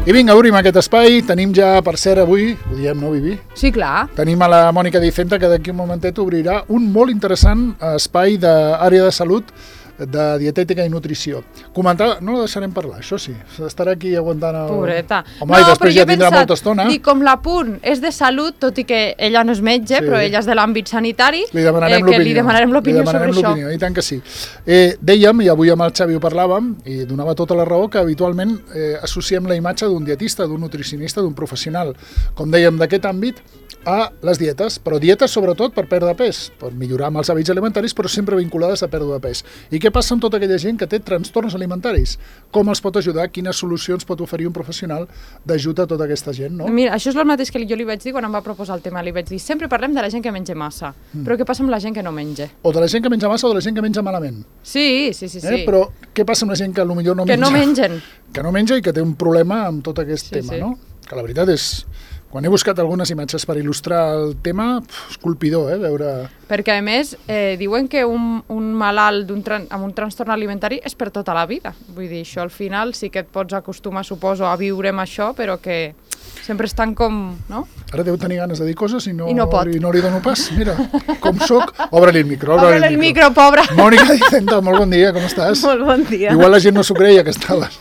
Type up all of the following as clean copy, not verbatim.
I vinga, obrim aquest espai. Tenim ja, per cert, avui, ho diem, no, Vivi? Sí, clar. Tenim a la Mònica Dicenta, que d'aquí un momentet obrirà un molt interessant espai d'àrea de salut, de dietètica i nutrició. Comentar, no la deixarem parlar, això sí. Estarà aquí aguantant el... Pobreta. Home, i després ja tindrà molta estona. Dic, com l'Apunt és de salut, tot i que ella no és metge, però ella és de l'àmbit sanitari, li demanarem l'opinió. Li demanarem l'opinió sobre això. I tant que sí. Dèiem, i avui amb el Xavi ho parlàvem, i donava tota la raó, que habitualment associem la imatge d'un dietista, d'un nutricionista, d'un professional, com dèiem, d'aquest àmbit, a les dietes, però dietes sobretot per perdre pes, per millorar amb els hàbits alimentaris, però sempre vinculades a pèrdua de pes. I què passa amb tota aquella gent que té trastorns alimentaris? Com els pot ajudar? Quines solucions pot oferir un professional d'ajut a tota aquesta gent, no? Mira, això és el mateix que jo li vaig dir quan em va proposar el tema. Li vaig dir, sempre parlem de la gent que menja massa, però què passa amb la gent que no menja? O de la gent que menja massa o de la gent que menja malament. Sí. Però què passa amb la gent que potser no menja? Que no mengen. Que no menja i que té un problema amb tot aquest tema, no? Que la veritat és... Quan he buscat algunes imatges per il·lustrar el tema, és colpidor, veure... Perquè, a més, diuen que un malalt amb un trastorn alimentari és per tota la vida. Vull dir, això al final sí que et pots acostumar, suposo, a viure amb això, però que sempre estan com... no? Ara deu tenir ganes de dir coses i no pot. No li dono pas. Mira, com soc, obre-li el micro. Obre-li el micro, pobra. Mònica Dicenta, molt bon dia, com estàs? Molt bon dia. Igual la gent no s'ho creia que estaves.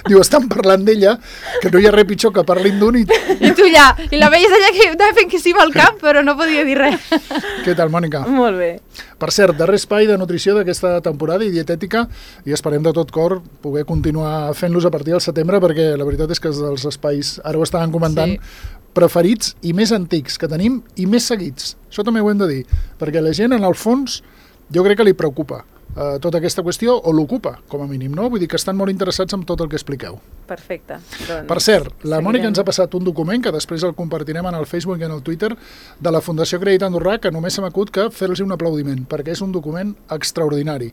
Diu, estan parlant d'ella, que no hi ha res pitjor que parlin d'un i tu ja, i la veies allà que estava fent que sí al cap, però no podia dir res. Què tal, Mònica? Molt bé. Per cert, darrer espai de nutrició d'aquesta temporada i dietètica, i esperem de tot cor poder continuar fent-los a partir del setembre, perquè la veritat és que és dels espais, ara ho estaven comentant, preferits i més antics que tenim i més seguits. Això també ho hem de dir, perquè la gent, en el fons, jo crec que li preocupa tota aquesta qüestió, o l'ocupa, com a mínim, no? Vull dir que estan molt interessats en tot el que expliqueu. Perfecte. Doncs, per cert, la Mònica ens ha passat un document que després el compartirem en el Facebook i en el Twitter de la Fundació Crèdit Andorrà, que només se m'acut que fer-los un aplaudiment, perquè és un document extraordinari.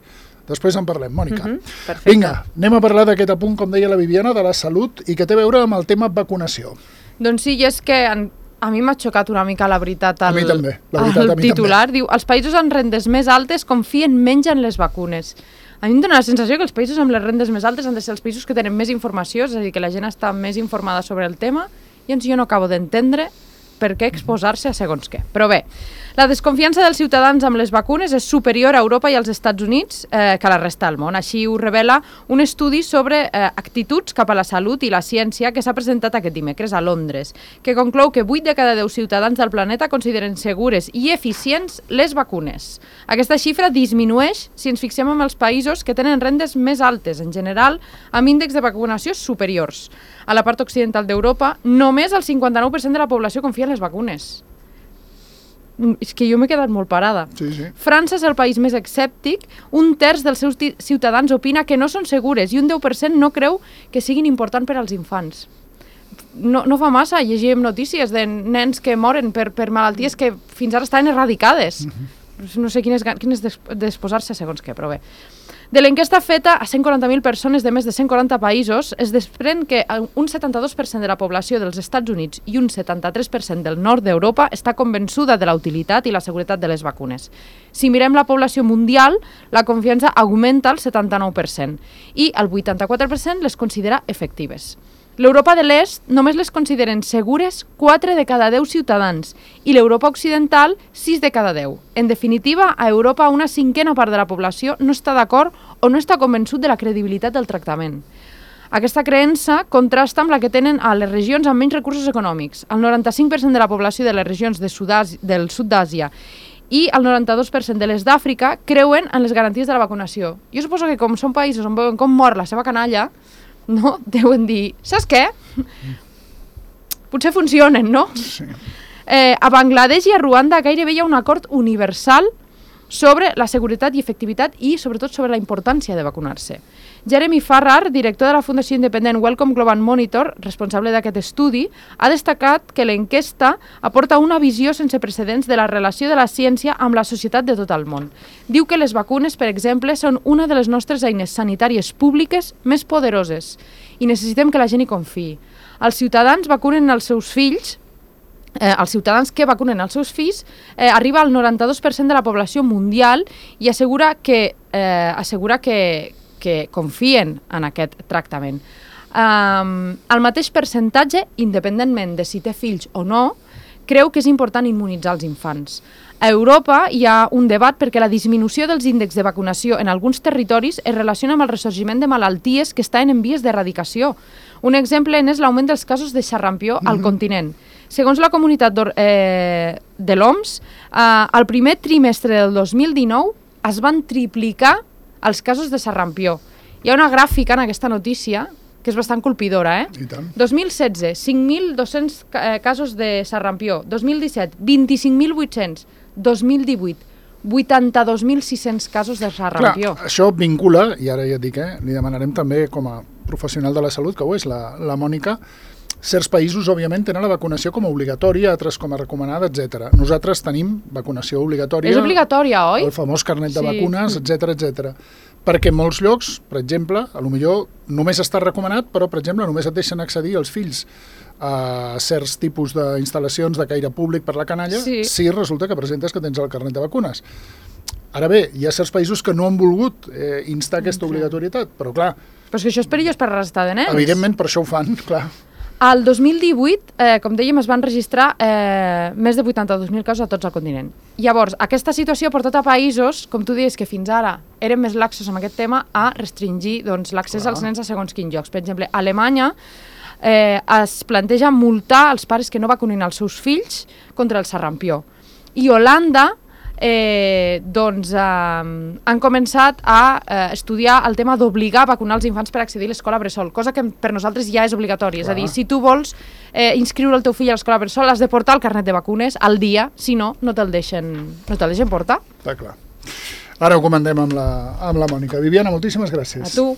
Després en parlem, Mònica. Perfecte. Vinga, anem a parlar d'aquest apunt, com deia la Viviana, de la salut i que té a veure amb el tema vacunació. Doncs sí, i és que a mi m'ha xocat una mica, la veritat, el titular. Diu, els països amb rendes més altes confien menys en les vacunes. A mi em dóna la sensació que els països amb les rendes més altes han de ser els països que tenen més informació, és a dir, que la gent està més informada sobre el tema, i jo no acabo d'entendre per què exposar-se a segons què. Però bé, la desconfiança dels ciutadans amb les vacunes és superior a Europa i als Estats Units que a la resta del món. Així ho revela un estudi sobre actituds cap a la salut i la ciència que s'ha presentat aquest dimecres a Londres, que conclou que 8 de cada 10 ciutadans del planeta consideren segures i eficients les vacunes. Aquesta xifra disminueix si ens fixem en els països que tenen rendes més altes, en general, amb índexs de vacunació superiors. A la part occidental d'Europa, només el 59% de la població confia en les vacunes. És que jo m'he quedat molt parada. Sí. França és el país més escèptic, un terç dels seus ciutadans opina que no són segures i un 10% no creu que siguin importants per als infants. No fa massa, llegíem notícies de nens que moren per malalties que fins ara estaven eradicades. No sé quin és d'exposar-se segons què, però bé. De l'enquesta feta a 140.000 persones de més de 140 països, es desprèn que un 72% de la població dels Estats Units i un 73% del nord d'Europa està convençuda de la utilitat i la seguretat de les vacunes. Si mirem la població mundial, la confiança augmenta al 79% i el 84% les considera efectives. L'Europa de l'Est només les consideren segures 4 de cada 10 ciutadans i l'Europa occidental 6 de cada 10. En definitiva, a Europa una cinquena part de la població no està d'acord o no està convençut de la credibilitat del tractament. Aquesta creença contrasta amb la que tenen a les regions amb menys recursos econòmics. El 95% de la població de les regions del sud d'Àsia i el 92% de les d'Àfrica creuen en les garanties de la vacunació. Jo suposo que com són països on veuen com mor la seva canalla, no? Deuen dir, saps què? Potser funcionen, no? Sí. A Bangladesh i a Ruanda gairebé hi ha un acord universal sobre la seguretat i efectivitat i, sobretot, sobre la importància de vacunar-se. Jeremy Farrar, director de la fundació independent Wellcome Global Monitor, responsable d'aquest estudi, ha destacat que l'enquesta aporta una visió sense precedents de la relació de la ciència amb la societat de tot el món. Diu que les vacunes, per exemple, són una de les nostres eines sanitàries públiques més poderoses i necessitem que la gent hi confiï. Els ciutadans vacunen els seus fills, els ciutadans que vacunen els seus fills arriba al 92% de la població mundial i assegura que confien en aquest tractament. el mateix percentatge, independentment de si té fills o no, creu que és important immunitzar els infants. A Europa hi ha un debat perquè la disminució dels índexs de vacunació en alguns territoris es relaciona amb el ressorgiment de malalties que estan en vies d'erradicació. Un exemple és l'augment dels casos de xarrampió al continent. Segons la comunitat de l'OMS, al primer trimestre del 2019 es van triplicar els casos de xarrampió. Hi ha una gràfica en aquesta notícia que és bastant colpidora, I tant. 2016, 5.200 casos de xarrampió. 2017, 25.800. 2018, 82.600 casos de xarrampió. Clar, això vincula, i ara ja et dic, li demanarem també com a professional de la salut, que ho és la Mònica, certs països, òbviament, tenen la vacunació com a obligatòria, altres com a recomanada, etc. Nosaltres tenim vacunació obligatòria. És obligatòria, oi? El famós carnet de vacunes, etc. Perquè en molts llocs, per exemple, potser només està recomanat, però, per exemple, només et deixen accedir els fills a certs tipus d'instal·lacions de caire públic per la canalla, si resulta que presentes que tens el carnet de vacunes. Ara bé, hi ha certs països que no han volgut instar aquesta obligatorietat, però clar... Però és que això és perillós per la resta de nens. Evidentment, per això ho fan, clar. Al 2018, com dèiem, es van registrar més de 82.000 casos a tots el continent. Llavors, aquesta situació ha portat a països, com tu deies, que fins ara eren més laxos amb aquest tema, a restringir l'accés als nens a segons quins llocs. Per exemple, a Alemanya es planteja multar els pares que no vacunin els seus fills contra el xarrampió. I Holanda han començat a estudiar el tema d'obligar a vacunar els infants per accedir a l'escola bressol, cosa que per nosaltres ja és obligatòria. És a dir, si tu vols inscriure el teu fill a l'escola bressol, has de portar el carnet de vacunes al dia, si no, no te'l deixen portar. Està clar. Ara ho comentem amb la Mònica. Viviana, moltíssimes gràcies. A tu.